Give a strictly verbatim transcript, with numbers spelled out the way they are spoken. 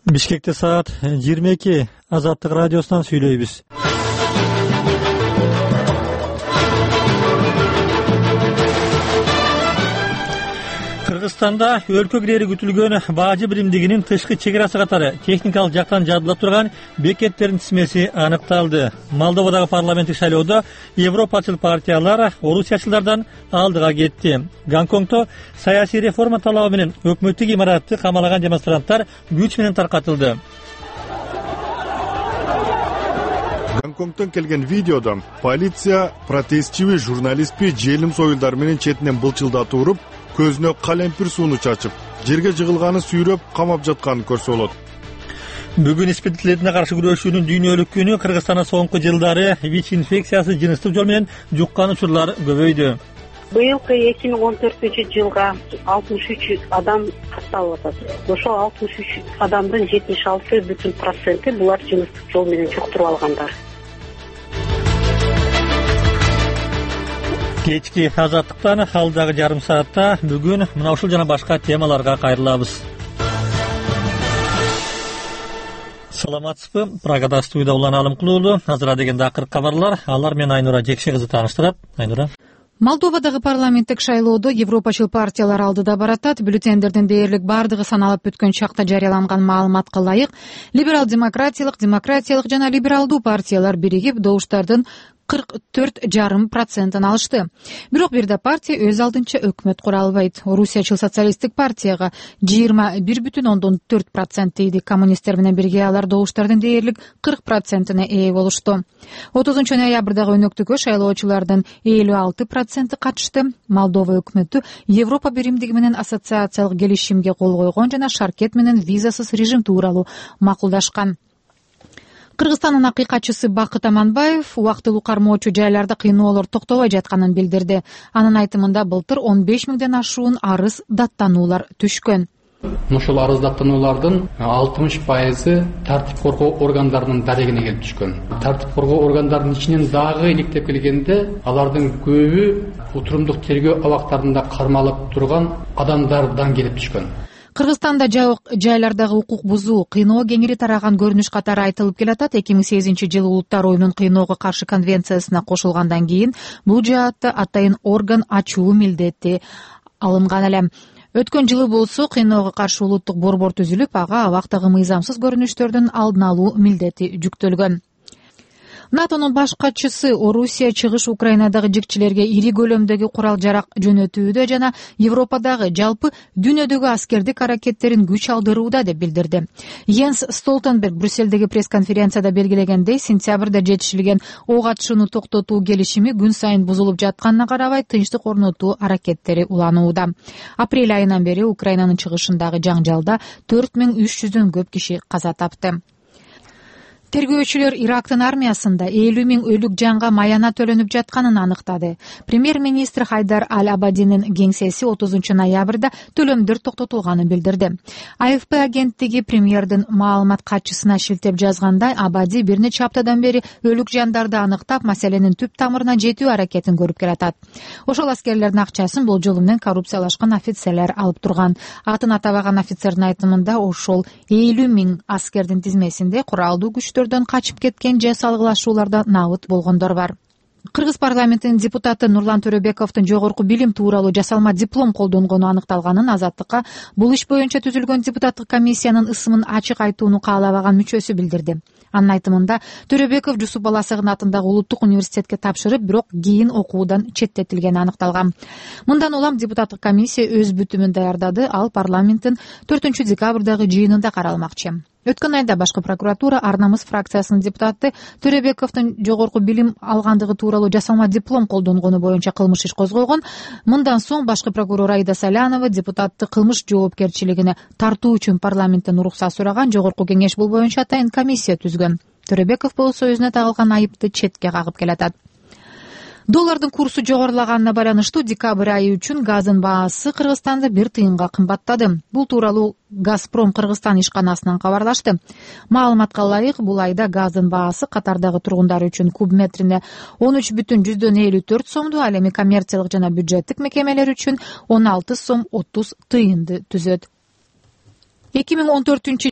Бишкекте саат жыйырма эки. Азаттык радиосунан сүйлөйбүз. Кыргызстанда өлкө киреери күтүлгөн бажы биримдигинин тышкы чек арасы катары техникалык жактан жабыла турган бекеттердин тизмеси аныкталды. Молдовадагы парламенттик шайлоодо европачыл партиялар орусиячылардан алдыга кетти. Гонконгдо саясий реформа талабы менен өкмөттүк имаратты камалаган демонстранттар күч менен таркатылды. Гонконгдон келген видеодо полиция протестчиби журналистпи желим союлдар менен четинен былчылдатып уруп, көзүнө калемпир сууну чачып, жерге жыгылганы сүйрөп камап жатканын көрсө болот. Бүгүн испитилетине каршы күрөшүүнүн дүйнөлүк күнү. Кыргызстанда соңку жылдары ВИЧ инфекциясы жыныстык жол менен жуккан учурлар көбөйдү. Быйылкы эки миң он төртүнчү жылга алтымыш үч адам катталып атат. Ошол алтымыш үч адамдын жетимиш алты бүтүн проценти булар жыныстык жол менен жуктуруп алгандар. Кечки азаттыктан алдагы жарым саатта бүгүн мына ушул жана башка темаларга кайрылабыз. Саламатсызбы? Прагада студияда Улан Алымкулуулу. Азыр дегенде акыркы кабарлар. Алар менен Айнура Жекше кызы тааныштырат. Айнура. Молдовадагы парламенттик шайлоодо европачыл партиялар алдыда баратат. Бюллетендердин дээрлик бардыгы саналып бүткөн чакта жарыяланган маалыматка ылайык либерал-демократиялык, демократиялык жана либералдуу партиялар биригип добуштардын кырк төрт жарым процентин алышты. Бирок бир да партия өз алдынча өкмөт кура албайт. Орусиячыл социалисттик партияга жыйырма бир бүтүн ондон төрт процент тийди. Коммунисттер менен бирге алар добуштардын дээрлик кырк процентине ээ болушту. отузунчу ноябрдагы өнөктүккө шайлоочулардын элүү алты проценти катышты. Молдова өкмөтү Европа биримдиги менен ассоциациялык келишимге кол койгон жана шаркет менен визасыз режим тууралуу макулдашкан. Кыргызстандын акыйкатчысы Бакыт Аманбаев убактылуу кармоочу жайларда кыйноолор токтобой жатканын билдирди. Анын айтымында былтыр он беш миңден ашуун арыз даттануулар түшкөн. Ошол арыз даттануулардын алтымыш пайызы тартип коргоо органдарынын дарегине келип түшкөн. Тартип коргоо органдарынын ичинен дагы иликтеп келгенде алардын көбү отурумдук тергөө абактарында кармалып турган адамдардан келип түшкөн. Кыргызстанда жабык жайлардагы укук бузуу, кыйноо кеңири тараган көрүнүш катары айтылып келатат. эки миң сегизинчи жылы Улуттар оюнун кыйноого каршы конвенциясына кошулгандан кийин бул жаатта атайын орган ачуу милдети алынган эле. Өткөн жылы болсо кыйноого каршы улуттук борбор түзүлүп, ага абактагы мыйзамсыз көрүнүштөрдүн алдын алуу милдети жүктөлгөн. НАТОнун баш катчысы Орусия чыгыш Украинадагы жикчилерге ири көлөмдөгү курал-жарак жөнөтүүдө жана Европадагы жалпы дүйнөдөгү аскердик аракеттерин күч алдырууда деп билдирди. Йенс Столтенберг Брюсселдеги пресс-конференцияда белгилегендей, сентябрда жетишилген ок атышууну токтотуу келишими күн сайын бузулуп жатканына карабай тынчтык орнотуу аракеттери уланууда. Апрель айынан бери Украинанын чыгышындагы жаңжалда төрт миң үч жүздөн көп киши каза тапты. Тергөөчүлөр Ирактын армиясында элүү миң өлүк жанга маяна төлөнүп жатканын аныктады. Премьер-министр Хайдар Аль-Абадинин кеңсеси отузунчу ноябрда төлөмдөр токтотулганын билдирди. АФП агенттиги премьердин маалымат катчысына шилтеп жазгандай, Абади бир нече аптадан бери өлүк жандарды аныктап, маселенин түп тамырына жетүү аракетин көрүп келатат. Ошол аскерлердин акчасын болжолу менен коррупциялашкан офицерлер алып турган. Атын атабаган офицердин айтымында ошол элүү миң аскердин тизмесинде куралдуу күчтөр качып кеткен же салгылашууларда набыт болгондор бар. Кыргыз парламентинин депутаты Нурлан Төрөбековдун жогорку билим тууралуу жасалма диплом колдонгону аныкталганын Азаттыкка бул иш боюнча түзүлгөн депутаттык комиссиянын ысымын ачык айтууну каалабаган мүчөсү билдирди. Анын айтымында Төрөбеков Жусуп Баласагын атындагы улуттук университетке тапшырып, бирок кийин окуудан четтетилгени аныкталган. Мындан улам депутаттык комиссия өз бүтүмүн даярдады, ал парламенттин төртүнчү декабрдагы жыйынында каралмакчы. Өткөн айда башкы прокуратура Ар намыс фракциясынын депутаты Төрөбековдун жогорку билим алгандыгы тууралуу жасалма диплом колдонгону боюнча кылмыш иш козгогон. Мындан соң башкы прокурор Аида Салянова депутатты кылмыш жоопкерчилигине тартуу үчүн парламенттен уруксат сураган. Жогорку кеңеш бул боюнча атайын комиссия түзгөн. Төрөбеков болсо өзүнө тагылган айыпты четке кагып келатат. Доллардын курсу жогорулаганына байланыштуу декабрь айы үчүн газдын баасы Кыргызстанда бир тыйынга кымбаттады. Бул тууралуу Газпром Кыргызстан ишканасынан кабарлашты. Маалыматка ылайык, бул айда газдын баасы Катардагы тургундар үчүн куб метрине он үч бүтүн жүздөн элүү төрт сомду, ал эми коммерциялык жана бюджеттик мекемелер үчүн он алты сом отуз тыйынды түзөт. эки миң он төртүнчү